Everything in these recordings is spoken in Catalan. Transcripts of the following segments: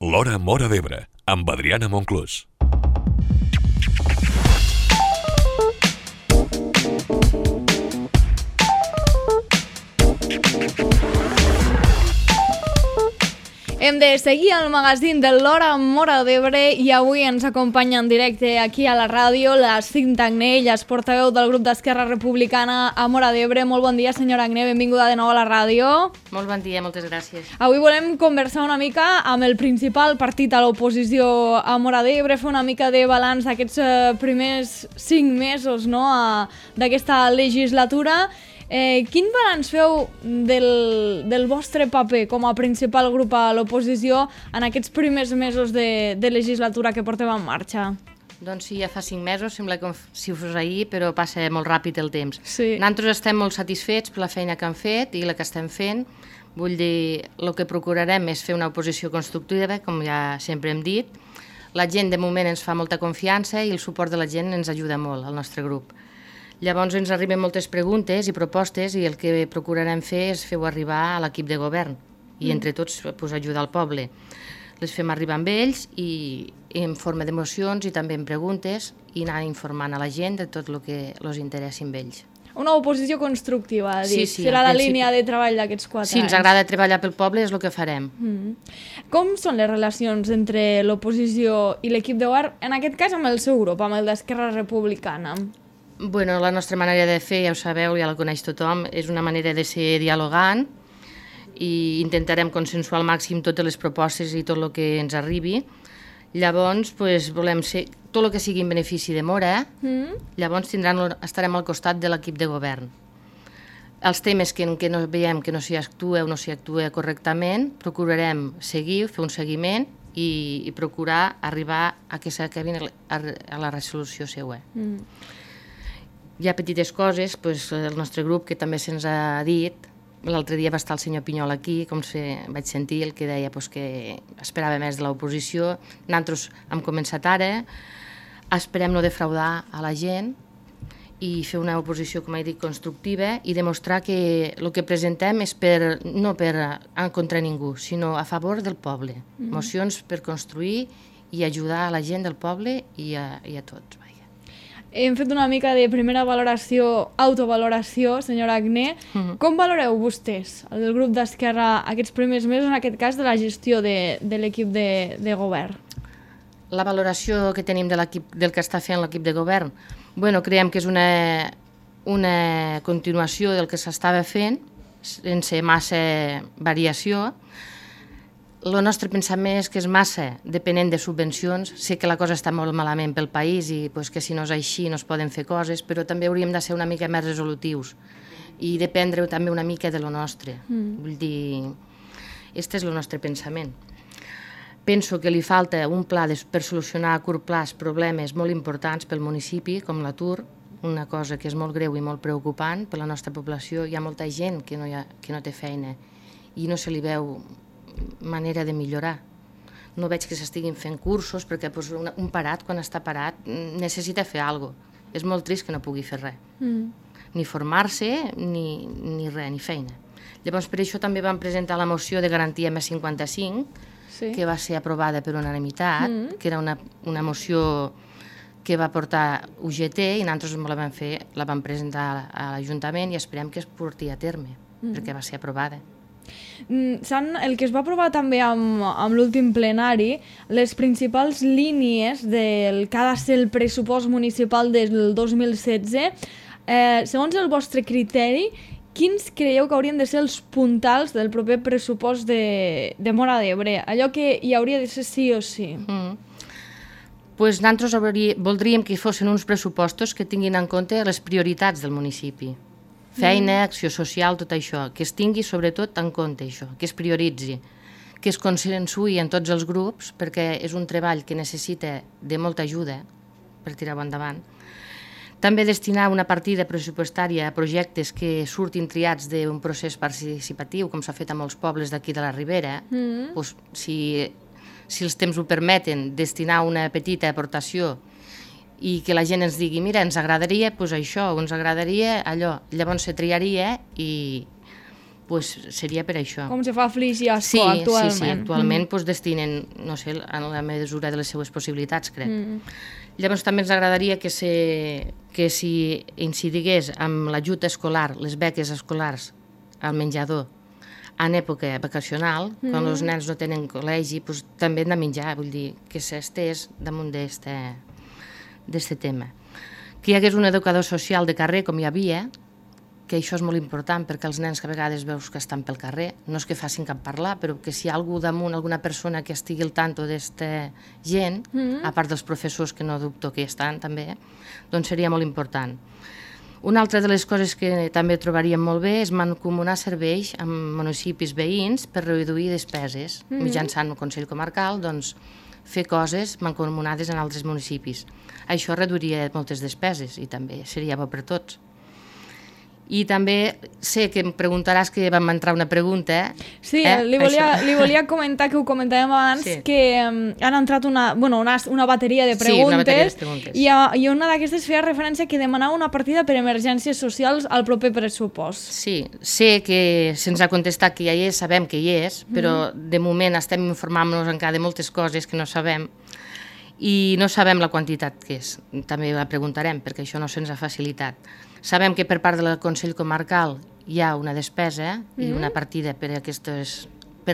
L'Hora Móra d'Ebre, amb Adriana Monclús. Hem de seguir el magazín de l'Hora Móra d'Ebre i avui ens acompanya en directe aquí a la ràdio la Cinta Agné, ella és portaveu del grup d'Esquerra Republicana a Móra d'Ebre. Molt bon dia, senyora Agné, benvinguda de nou a la ràdio. Molt bon dia, moltes gràcies. Avui volem conversar una mica amb el principal partit a l'oposició a Móra d'Ebre, fer una mica de balanç d'aquests primers 5 mesos d'aquesta legislatura. Quin balanç feu del vostre paper com a principal grup a l'oposició en aquests primers mesos de legislatura que portem en marxa? Doncs sí, ja fa 5 mesos, sembla com si fos ahir, però passa molt ràpid el temps. Sí. Nosaltres estem molt satisfets per la feina que han fet i la que estem fent. Vull dir, el que procurarem és fer una oposició constructiva, com ja sempre hem dit. La gent de moment ens fa molta confiança i el suport de la gent ens ajuda molt, al nostre grup. Llavors ens arriben moltes preguntes i propostes i el que procurarem fer és fer-ho arribar a l'equip de govern i entre tots ajudar el poble. Les fem arribar amb ells i en forma de mocions i també en preguntes i anar informant a la gent de tot el que els interessi amb ells. Una oposició constructiva, ha dit. Sí, serà la línia de treball d'aquests 4 anys. Si ens agrada treballar pel poble és el que farem. Com són les relacions entre l'oposició i l'equip de govern, en aquest cas amb el seu grup, amb el d'Esquerra Republicana? Bueno, la nostra manera de fer, ja ho sabeu, ja la coneix tothom, és una manera de ser dialogant i intentarem consensuar al màxim totes les propostes i tot el que ens arribi. Llavors, volem ser tot el que sigui en benefici de Móra, llavors estarem al costat de l'equip de govern. Els temes que no veiem que no s'hi actua o no s'hi actua correctament, procurarem seguir, fer un seguiment i procurar arribar a que s'acabin a la resolució seva. Hi ha petites coses, el nostre grup, que també se'ns ha dit, l'altre dia va estar el senyor Pinyol aquí, vaig sentir el que deia que esperava més de l'oposició. Nosaltres hem començat ara, esperem no defraudar a la gent i fer una oposició, com he dit, constructiva i demostrar que el que presentem és no contra ningú, sinó a favor del poble. Mocions per construir i ajudar a la gent del poble i a tots. Hem fet una mica de primera valoració, autovaloració, senyora Agné. Com valoreu vostès, el grup d'Esquerra, aquests primers mesos, en aquest cas, de la gestió de l'equip de govern? La valoració que tenim del que està fent l'equip de govern, creiem que és una continuació del que s'estava fent, sense massa variació. El nostre pensament és que és massa depenent de subvencions. Sé que la cosa està molt malament pel país i que si no és així no es poden fer coses, però també hauríem de ser una mica més resolutius i dependre també una mica de lo nostre. Vull dir, aquest és el nostre pensament. Penso que li falta un pla per solucionar a curt plaç problemes molt importants pel municipi, com l'atur, una cosa que és molt greu i molt preocupant per la nostra població. Hi ha molta gent que no té feina i no se li veu manera de millorar. No veig que s'estiguin fent cursos perquè un parat, quan està parat, necessita fer alguna cosa. És molt trist que no pugui fer res. Ni formar-se, ni res, ni feina. Llavors, per això també vam presentar la moció de garantia M55, que va ser aprovada per unanimitat, que era una moció que va portar UGT i nosaltres la vam presentar a l'Ajuntament i esperem que es porti a terme, perquè va ser aprovada. El que es va aprovar també amb l'últim plenari, les principals línies del que ha de ser el pressupost municipal del 2016, segons el vostre criteri, quins creieu que haurien de ser els puntals del proper pressupost de Móra d'Ebre? Allò que hi hauria de ser sí o sí. Nosaltres voldríem que fossin uns pressupostos que tinguin en compte les prioritats del municipi. Feina, acció social, tot això, que es tingui sobretot en compte això, que es prioritzi, que es consensuï en tots els grups, perquè és un treball que necessita de molta ajuda per tirar-ho endavant. També destinar una partida pressupostària a projectes que surtin triats d'un procés participatiu, com s'ha fet a molts pobles d'aquí de la Ribera. Si els temps ho permeten, destinar una petita aportació i que la gent ens digui, mira, ens agradaria això, o ens agradaria allò. Llavors se triaria i pues seria per això. Com se fa Flix i Ascó Sí, actualment. actualment pues, destinen, no sé, en la mesura de les seues possibilitats, crec. Llavors també ens agradaria que si incidigués amb l'ajut escolar, les beques escolars al menjador en època vacacional, quan els nens no tenen col·legi, pues, també han de menjar, vull dir, que s'estés damunt d'este tema. Que hi hagués un educador social de carrer, com hi havia, que això és molt important perquè els nens que a vegades veus que estan pel carrer, no és que facin cap parlar, però que si hi ha algú damunt, alguna persona que estigui al tanto d'esta gent, a part dels professors que no dubto que hi estan també, doncs seria molt important. Una altra de les coses que també trobaríem molt bé és mancomunar serveis amb municipis veïns per reduir despeses, mitjançant el Consell Comarcal, doncs fer coses mancomunades en altres municipis. Això reduiria moltes despeses i també seria bo per tots. I també sé que em preguntaràs que vam entrar una pregunta. Sí, li volia comentar, que ho comentàvem abans, que han entrat una bateria de preguntes, una bateria de preguntes. I una d'aquestes feia referència que demanava una partida per emergències socials al proper pressupost. Sí, sé que se'ns ha contestat que ja hi és, sabem que hi és, però de moment estem informant-nos encara de moltes coses que no sabem i no sabem la quantitat que és. També la preguntarem, perquè això no se'ns ha facilitat. Sabem que per part del Consell Comarcal hi ha una despesa i una partida per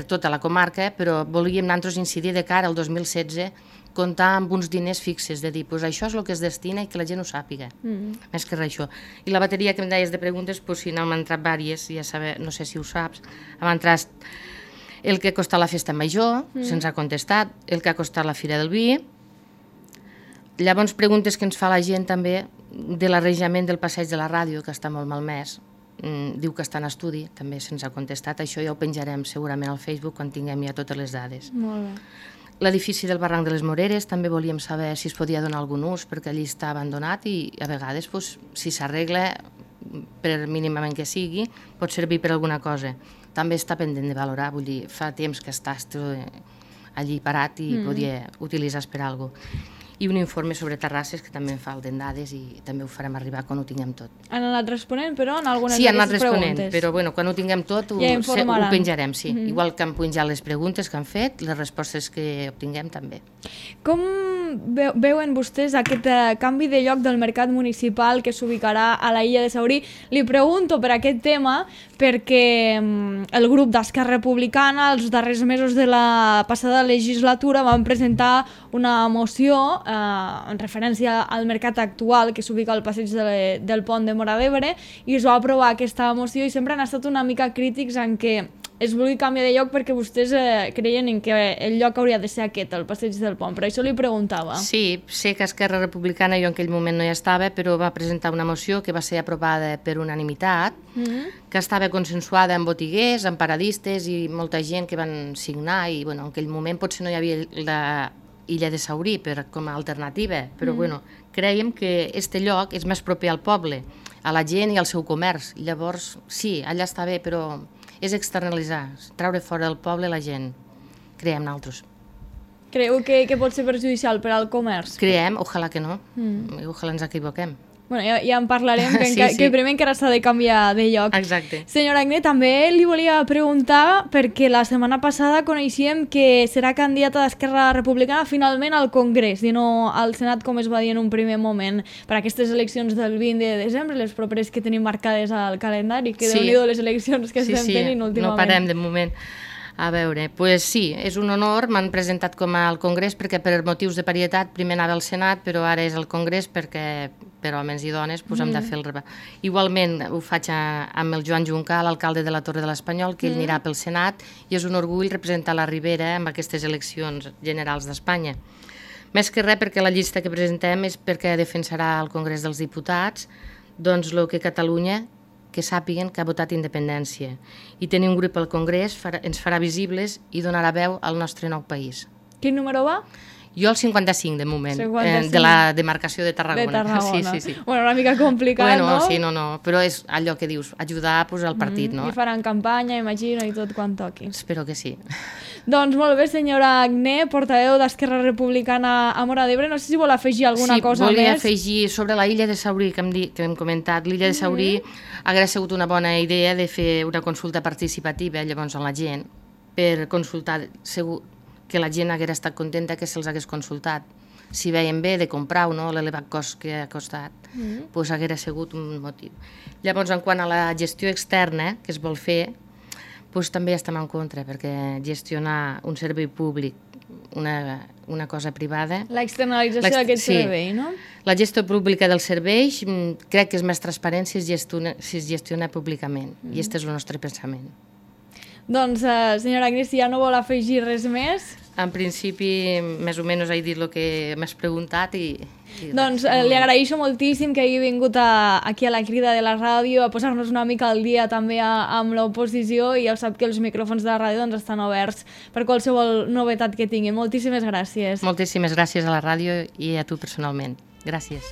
tota la comarca, però volíem nosaltres incidir de cara al 2016, comptar amb uns diners fixes, de dir, pues això és el que es destina i que la gent ho sàpiga, més que res això. I la bateria que em deies de preguntes, pues si n'han entrat diverses, ja saber, no sé si ho saps, han entrat el que ha costat la festa major, se'ns ha contestat, el que ha costat la Fira del Vi. Llavors, preguntes que ens fa la gent també de l'arranjament del passeig de la ràdio, que està molt malmès. Diu que està en estudi, també se'ns ha contestat. Això ja ho penjarem segurament al Facebook quan tinguem ja totes les dades. Molt bé. L'edifici del Barranc de les Moreres també volíem saber si es podia donar algun ús, perquè allí està abandonat i a vegades, si s'arregla, per mínimament que sigui, pot servir per alguna cosa. També està pendent de valorar, vull dir, fa temps que està allí parat i podia utilitzar-se per alguna cosa. I un informe sobre terrasses, que també en falten dades i també ho farem arribar quan ho tinguem tot. Han anat responent, però, en algunes d'aquestes preguntes? Sí, han anat responent, però bueno, quan ho tinguem tot ho penjarem, sí. Igual que han penjat les preguntes que han fet, les respostes que obtinguem també. Com veuen vostès aquest canvi de lloc del mercat municipal que s'ubicarà a la illa de Saurí? Li pregunto per aquest tema perquè el grup d'Esquerra Republicana els darrers mesos de la passada legislatura van presentar una moció en referència al mercat actual que s'ubica al passeig del pont de Móra d'Ebre, i es va aprovar aquesta moció i sempre han estat una mica crítics en què es vulgui canviar de lloc perquè vostès creien en que el lloc hauria de ser aquest, el passeig del pont. Per això li preguntava. Sí, sé que Esquerra Republicana jo en aquell moment no hi estava, però va presentar una moció que va ser aprovada per unanimitat, que estava consensuada amb botiguers, amb paradistes i molta gent que van signar, i en aquell moment potser no hi havia la illa de Saurí com a alternativa, però creiem que este lloc és més proper al poble, a la gent i al seu comerç. Llavors, sí, allà està bé, però és externalitzar, treure fora del poble la gent. Creiem nosaltres. Creu que pot ser perjudicial per al comerç? Creiem, ojalà que no, ojalà ens equivoquem. Bueno, ja en parlarem, que primer encara s'ha de canviar de lloc. Exacte. Senyora Agné, també li volia preguntar, perquè la setmana passada coneixíem que serà candidata d'Esquerra Republicana finalment al Congrés, i no al Senat, com es va dir en un primer moment, per aquestes eleccions del 20 de desembre, les properes que tenim marcades al calendari, que Déu-n'hi-do les eleccions que estem tenint últimament. No parem de moment. A veure, doncs sí, és un honor, m'han presentat com al Congrés perquè per motius de parietat primer anava al Senat, però ara és al Congrés perquè per homes i dones hem de fer el rebat. Igualment ho faig amb el Joan Juncal, l'alcalde de la Torre de l'Espanyol, que ell anirà pel Senat, i és un orgull representar la Ribera en aquestes eleccions generals d'Espanya. Més que res perquè la llista que presentem és perquè defensarà al Congrés dels Diputats doncs el que Catalunya, que sàpiguen que ha votat independència. I tenir un grup al Congrés ens farà visibles i donarà veu al nostre nou país. Quin número va? Jo el 55, de moment, 55. de la demarcació de Tarragona. De Tarragona. Sí, sí, sí. Bueno, una mica complicat, Bueno, no? sí, no, però és allò que dius, ajudar pues, al partit, no? I faran campanya, imagino, i tot quan toqui. Espero que sí. Doncs molt bé, senyora Agné, portaveu d'Esquerra Republicana a Móra d'Ebre. No sé si vol afegir alguna cosa més. Sí, volia afegir sobre la illa de Saurí, que hem comentat. L'illa de Saurí hauria sigut una bona idea de fer una consulta participativa llavors a la gent, per consultar, segur que la gent hagués estat contenta que se'ls hagués consultat. Si veien bé de comprar o no l'elevat cost que ha costat, doncs hagués sigut un motiu. Llavors, en quant a la gestió externa que es vol fer, doncs també estem en contra, perquè gestionar un servei públic, una cosa privada... L'externalització d'aquest servei, no? La gestió pública dels serveis crec que és més transparent si es gestiona públicament, i aquest és el nostre pensament. Doncs, senyora Agné, si ja no vol afegir res més... En principi, més o menys he dit el que m'has preguntat i doncs li agraeixo moltíssim que hagi vingut aquí a la Crida de la ràdio a posar-nos una mica al dia també amb l'oposició, i ja sap que els micròfons de la ràdio doncs, estan oberts per qualsevol novetat que tingui. Moltíssimes gràcies. Moltíssimes gràcies a la ràdio i a tu personalment. Gràcies.